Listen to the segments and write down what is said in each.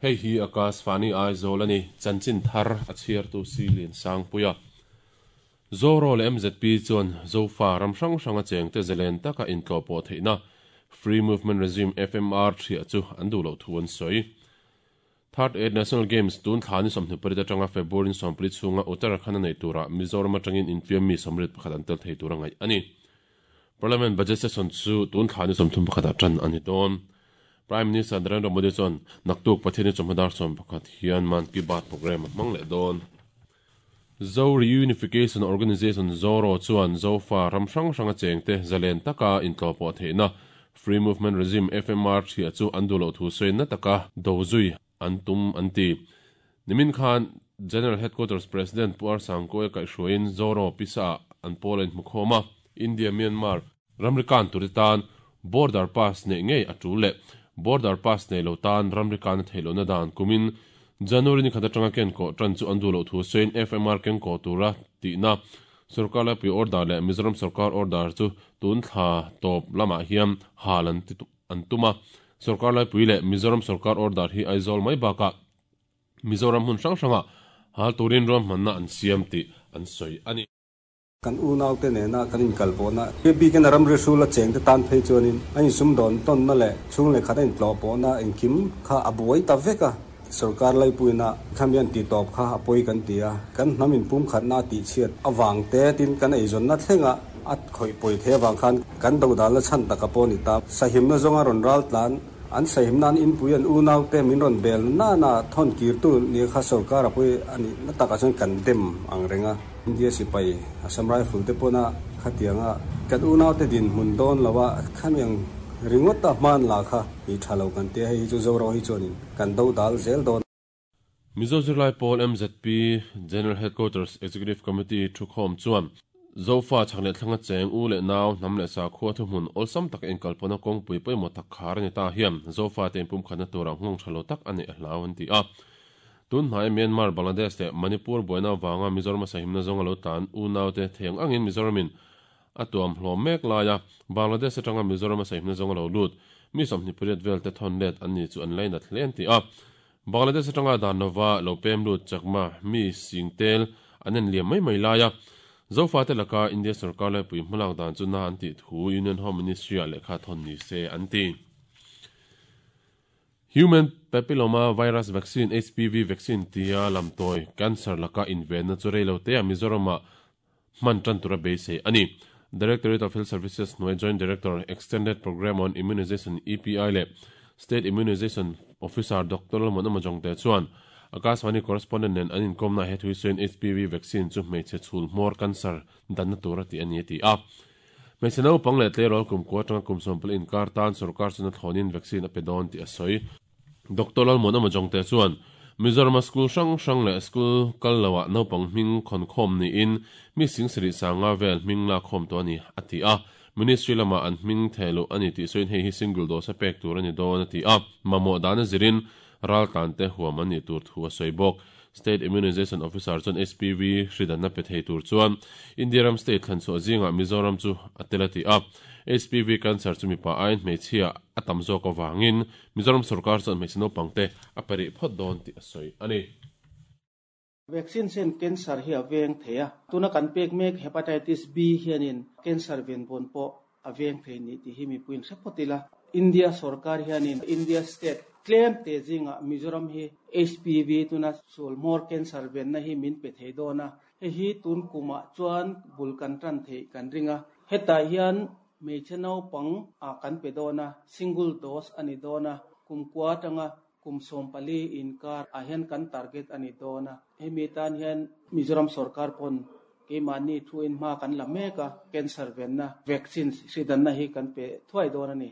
Hei hi Akashvani Aizawl a ni, chanchin thar a chhiartu si Liansangpuia. Zoro leh mzp chuan Zofa ram hrang hranga chengte zalen taka intlawhpawh theihna Free Movement Regime, FMR, ṭhiah chu an duh loh thu an sawi. Third Eight National Games tun thla ni 28 atanga February ni 14 chhunga Uttarakhand a neih turah Mizoram atangin infiam mi 31 an tel thei tur a ngaih a ni. Parliament Budget Session chu tun thla ni 31 ah tan a ni dawn. Prime Minister Narendra Modi chuan naktuk Pathianni chawhma dar 11 hian Mann Ki Baat programme a hmang leh dawn. Zo Reunification Organisation, ZORO, chuan Zofa ram hrang hranga chengte zalen taka intlawhpawh theihna Free Movement Regime, FMR, ṭhiah chu an duh loh thu sawi na taka do zui an tum an ti. Nimin khan General Headquarters President Pu Arsangkawia kaihhruaiin ZORO pisa-ah an pawl a inhmukhawm a, India-Myanmar ramri kan tur te tan Border Pass neih ngei a tul leh Border Pass nei lo tan ramri kan a theih lohna dan kumin January ni khat atanga kenkawh tan chu an duh loh thu sawiin FMR kenkawh tura tihna Sorkar laipui order leh Mizoram sorkar order chu tun thla tawp lamah hian hal an an tum a. Sorkar laipui leh Mizoram sorkar order hi Aizawl mai bakah Mizoram hmun hrang hrangah hal turin ruahmanna an siam tih an sawi a ni. Kan unaute nena kan inkalpawhna, bikin a ramri hrula chengte tan phei chuanin a insumdawn tawnna leh chhung leh khat a intlawhpawhna engkim kha a buai ta vek a. Sorkar laipuina khami an tihtawp kha a pawi kan ti a, kan hnam inpumkhatna a tihchhiat avang te tin kan eizawnna thlenga a khawih pawi thei avang khan kan dodalna chhan taka pawh a ni ta. Sahimna zawnga rawn ral tlan an sahimna an inpui an unaute min rawn bel nana thawn kirtu nia kha sorkar a pawi a nih na takah chuan kan dem ang reng a. India sipai Assam Rifle te pawna khatianga kan unaute dinhmun dawn lo a, khamiang ringawt a hman la kha i tha lo kan tia, hei hi chu Zoram hi chuanin kan do dal zel dawn. Mizo Zirlai Pawl MZP General Headquarters Executive Committee thukhawm chuan Zofa chhak leh thlanga cheng u leh nau hnam leh sakhua thuhmun awlsam taka inkalpawhna kawngpui pawimawh tak khar a ni ta hian Zofa te inpumkhatna turah nghawng tha lo tak a neih a hlau an ti a. Tun hnaia Myanmar, Bangladesh leh Manipur buaina avanga Mizoram a sahimna zawng a lo tlan unaute theng angin Mizoramin a tuam hlawm mek laia Bangladesh atanga Mizoram a sahimna zawng a lo lut mi 28 vel te thawn let an ni chu an lainat hle an ti a. Bangladesh atanga dan lova lo pem lut Chakma mi singtel an en liam mai mai laia Zofate laka India sorkar laipui hmalak dan chu na an tih thu Union Home Ministry-ah lehkha thawn ni se an ti. Human Papilloma Virus Vaccine, HPV vaccine, tia lamtawi cancer laka invenna chu rei lo teah Mizoramah hman tan tura beisei a ni. Directorate of Health Services hnuai Joint Director, Extended Programme on Immunization, EPI, leh State Immunization Officer Doctor Lalmuan Amajongte chuan Akashvani correspondent nen an inkawmnaah he thu hi sawiin HPV vaccine chu hmeichhe chhul hmawr cancer danna tura tih a ni a ti a. Hmeichhe naupang leh tleirawl kum kua atanga kum 14 inkar tan sorkar chuna thlawnin vaccine a pe dawn tih a sawi. Doctor Lalmuan Amajongte chuan Mizorama school hrang hrang leh school kal loah naupang hming khawnkhawm niin mi sing sarih sanga vel hming lakkhawm tawh a ni, a ti a. Ministry lamah an hming theh luh a ni tih sawiin hei hi single dose a pek tur a ni dawn a ti a. Mamawh dana zirin raltlante huam an nih tur thu a sawi bawk. State Immunization Officer chuan HPV hri danna pe thei tur chuan India ram state thlan chhuah zingah Mizoram chu a tel a ti a. HPV cancer chu mipa aiin hmeichhia a tam zawk avangin Mizoram sorkar chuan hmeichhe naupangte a pe rih phawt dawn tih a sawi a ni. Vaccine hian cancer hi a veng thei a, tuna kan pek mek Hepatitis B hianin cancer venvawn pawh a veng thei ni tih hi mipuiin hre phawt ila. India sorkar hianin India state tlem te zingah Mizoram hi HPV tuna sul hmawr cancer venna hi min pe thei dawn a, hei hi tun kumah chuan bul kan tan theih kan ring a. Hetah hian hmeichhe naupang ah kan pe dawn a, single dose a ni dawn a, kum kua atanga kum 14 inkar ah hian kan target a ni dawn a, hemi tan hian Mizoram sorkar pawn keimahni thuin hma kan la mek a, cancer venna vaccine hridanna hi kan pe thuai dawn a ni.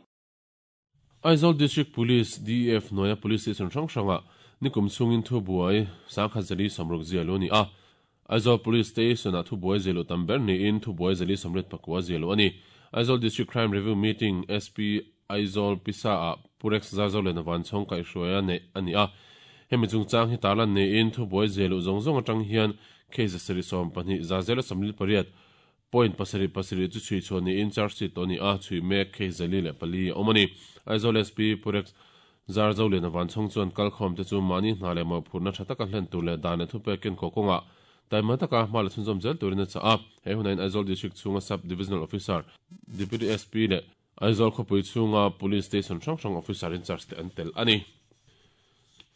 Aizawl District Police, DEF, hnuaia Police Station hrang hrangah nikum chhungin thubuai 1060 ziahluh a ni a. Aizawl Police Station-ah thubuai ziahluh tam ber niin thubuai 489 ziahluh a ni. Aizawl District Crime Review Meeting, SP Aizawl Pisa-ah Pu Rex Zarzoliana Vanchhawng kaihhruaia neih a ni a. Hemi chungchang hi tarlan niin thubuai ziahluh zawng zawng atang hian case 72 048 point pasarih pasarih chu chhui chhuah niin charge sheet tawh a ni a, chhui mek case 404 a awm a ni. Aizawl SP Pu Rex. Zarzoliana Vanchhawng chuan kalkhawmte chu mahni hna leh mawhphurhna tha taka hlen tur leh dan leh thupek ken kaw kawngah taima taka hma la chhunzawm zel turin a chah a. He hunah hian Aizawl District chhunga Sub Divisional Officer, Deputy SP leh Aizawl khawpui chhunga Police Station hrang hrang Officer in charge te an tel a ni.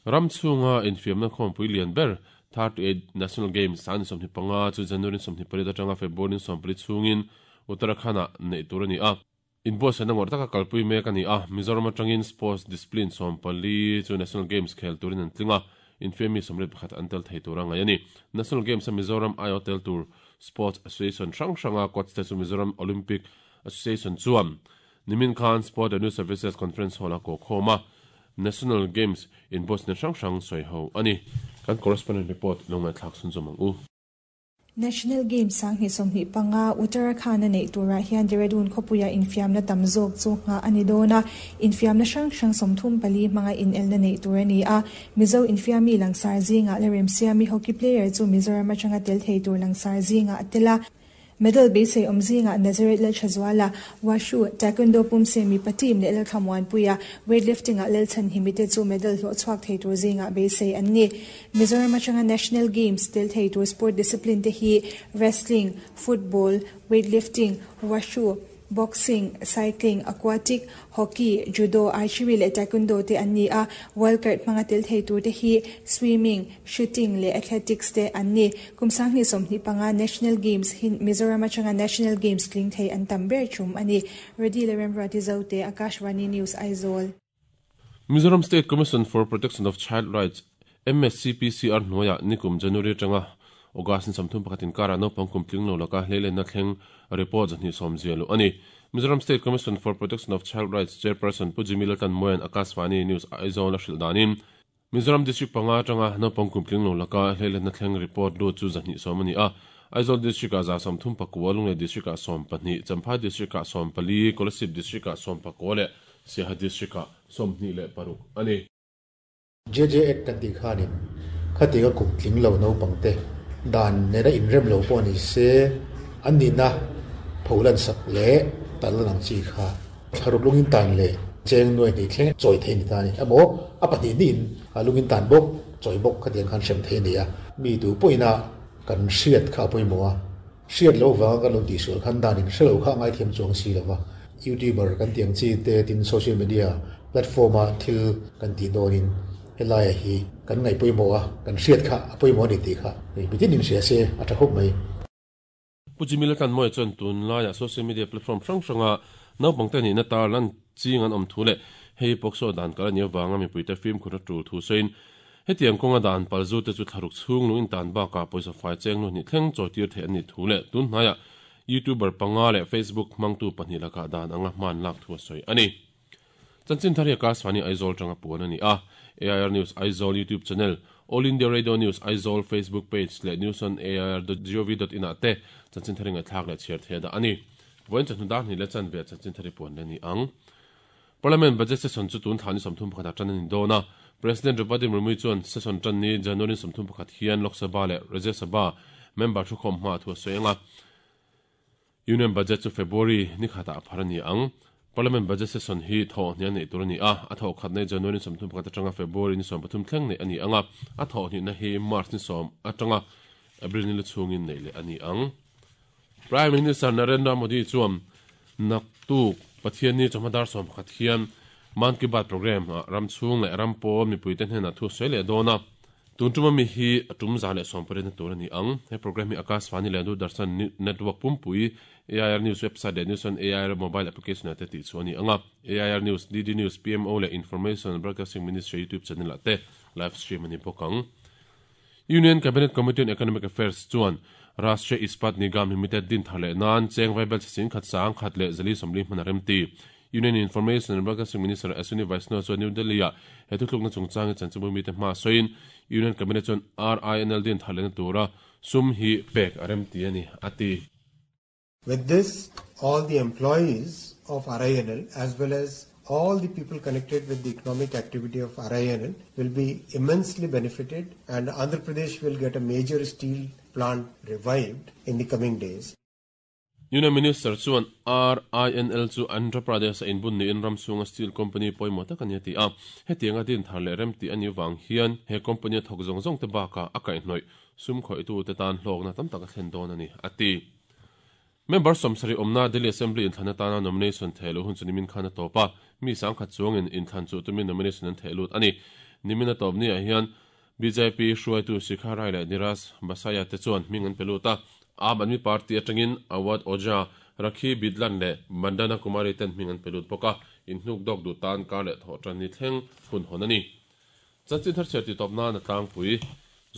Ram chhunga infiamna khawmpui lian ber 38 National Games san 25 chu January 28 atanga February 14 chhungin Uttarakhand-ah neih tur a ni a. Inbuatsaihna ngawrh taka kalpui mek a ni a, Mizoram atangin Sports Discipline 14 chu National Games khel turin an tling a, infiammi 81 an tel thei tur a ngaih a ni. National Games-a Mizoram aiawh tel tur Sports Association hrang hranga coach te chu Mizoram Olympic Association chuan nimin khan Sport and Youth Services Conference Hall-a kawhkhawm a, National Games inbuatsaihna hrang hrang sawi ho a ni. Kan correspondent report lo ngaihthlak chhunzawm ang u. National Games 2025 Uttarakhand-a neih turah hian Dehradun khawpuia infiamna tam zawk chu nghah a ni dawn a, infiamna hrang hrang 34 hmanga inelna neih tur a ni a. Mizo infiammi langsar zingah la remsiami hockey player chu Mizoram atanga tel thei tur langsar zingah a tel a. Medal beisei awm zingah Nazareth Lalthazuala, Washu, Taekwondo pumse mipa team leh Lalthlamuanpuia, Weightlifting-ah Lalchhanhimi te chu medal hlawh chhuak thei tur zingah beisei an ni. Mizoram atanga National Games tel thei tur sport discipline te hi Wrestling, Football, Weightlifting, Washu, Boxing, Cycling, Aquatic, Hockey, Judo, Archery leh Taekwondo te an ni a, Wild Card hmanga tel thei tur te hi Swimming, Shooting leh Athletics te an ni. Kum 2025 National Games hi Mizoram atanga National Games tling thei an tam ber tum a ni. Redi leh Remruati Zote, Akashvani News, Aizawl. Mizoram State Commission for Protection of Child Rights, MSCPCR, hnuaiah nikum January atanga August ni 31 inkarah naupang kum tling lo laka hleilenna thleng report 220 zia luh a ni. Mizoram State Commission for Protection of Child Rights Chairperson Pu Jimmy Laltanmawia'n Akashvani News Aizawl a hrilh danin, Mizoram District panga atanga naupang kum tling lo laka hleilenna thleng report lut chu 220 a ni a. Aizawl District-ah 139, Lunglei District-ah 12, Champhai District-ah 14, Kolasib District-ah 19 leh Siaha District-ah 26 a ni. JJ Act kan tih khanin khatianga kum tling lo naupangte dan nena inrem lo pawh ni se an nihna pholan sak leh tal an ang chi kha thlaruk lungin tan leh cheng nuai hnih thleng chawi thei ni ta a ni. Emaw a pahnih hnihin lungin tan bawk chawi bawk khatiang khan hrem thei a ni a. Mi tu pawhin a kan hriat kha a pawimawh a, hriat loh vanga kan lo tihsual khan danin hre lo kha a ngaithiam chuang si lo va. YouTuber kan tih ang chi te tin social media platform a thil kan tih dawnin helaiah hi kan ngaih pawimawh a, kan hriat kha a pawimawh a ni tih kha mitin inhria se a tha khawp mai. Pu Jimmy Laltanmawia chuan tunlaiah social media platform hrang hranga naupangte nihna tar lan ching an awm thu leh hei POCSO dan kal a nih avanga mipuite fimkhur a tul thu sawiin hetiang kawnga dan palzute chu thlaruk chhung lung intan bakah pawisa fai cheng nu hnih thleng chawitir theih an nih thu leh tun hnaiah YouTuber panga leh Facebook hmangtu pahnih lakah dan anga hman lak thu a sawi a ni. Chanchin thar hi Akashvani Aizawl tanga puan a ni a, AIR News Aizawl YouTube channel, All India Radio News Aizawl Facebook page leh news on air dot gov dot in ah te chanchin thar hi ngaihthlak leh chhiar theih a dah a ni. Vawiin chawhnu dar hnih leh chanve ah chanchin thar hi puan leh a ni ang. Parliament Budget Session chu tun thla ni 31 ah tan a ni dawn a, President Draupadi Murmu chuan session tan ni January 31 hian Lok Sabha leh Rajya Sabha member thukhawm hma thu a sawi ang a. Union Budget chu February ni khatah a phar a ni ang. Parliament Budget Session hi thawh hnih a neih tur a ni a, a thawh khatna hi January ni 31 atanga February ni 13 thleng neih a ni ang a, a thawh hnihna hi March ni 10 atanga April ni lu chhungin neih leh a ni ang. Prime Minister Narendra Modi chuan naktuk Pathianni chawhma dar 11 hian Mann Ki Baat programme ah ram chhung leh ram pawl mipuite hnenah thu a sawi leh dawn a. Tun tuma mi hi a tum 180 na tur a ni ang. He programme hi Akashvani leh Doordarshan Network pumpui, AIR News website leh News on AIR mobile application ah te tih chhuah a ni ang a. AIR News, DD News, PMO leh Information and Broadcasting Ministry YouTube channel ah te live stream a ni bawk ang. Union Cabinet Committee on Economic Affairs chuan Rashtriya Ispat Nigam Limited din thar leh nan cheng vaibel chhe sing khat sang khat leh 440 hman a remti. Union Information and Broadcasting Minister Ashwini Vaishnaw chuan New Delhi-ah he thuthlukna chungchang hi chanchinbu mite hma sawiin Union Cabinet chuan RINL din thar lehna tura sum hi pek a remti a ni, a ti. With this, all the employees of RINL as well as all the people connected with the economic activity of RINL will be immensely benefited and Andhra Pradesh will get a major steel plant revived in the coming days. Union Minister chuan RINL chu Andhra Pradesh-a inbun niin ram chhunga steel company pawimawh tak a ni a ti a. Hetianga din thar leh rem tih a nih vang hian he company a thawk zawng zawng te bakah a kaihhnawih sum khawihtute tan hlawkna tam tak a thlen dawn a ni, a ti. Member sawmsarih awmna Delhi Assembly inthlan atana nomination theh luh hun chu nimin khan a tawp a, mi sangkhat chuangin inthlan chuh tumin nomination an theh lut a ni. Nimin a tawp niah hian bjp hruaitu Shikha Rai leh Niraj Basaya te chuan hming an pe lut a, Aam Aadmi Party atangin Awad Ojha, Rakhi Bidlan leh Bandana Kumari ten hming an pe lut bawk a, inhnuk dawk duh tan kar leh thawh tan ni thleng hun hawn a ni. Chanchin thar chhiar titawp nan a tlangpui.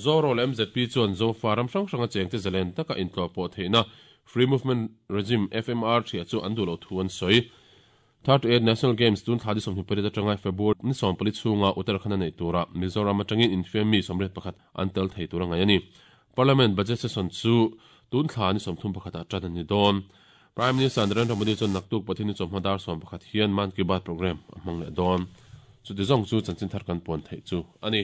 Zoro leh mzp chuan Zofa ram hrang hranga chengte zalen taka intlawh pawh theihna Free Movement Regime, FMR, thiah chu an duh loh thu an sawi. 38 National Games tun thla di 28 atanga February ni 14 chhunga Uttarakhand a neih turah Mizoram atangin infiam mi 81 an tel thei tur a ngaih a ni. Parliament Budget Session chu tun thla ni 31 ah tan a ni dawn. Prime Minister Narendra Modi chuan naktuk Pathian ni chawhma dar 11 hian Mann Ki Baat programme a hmang leh dawn. Chuti zawng chu chanchin thar kan puan theih chu a ni.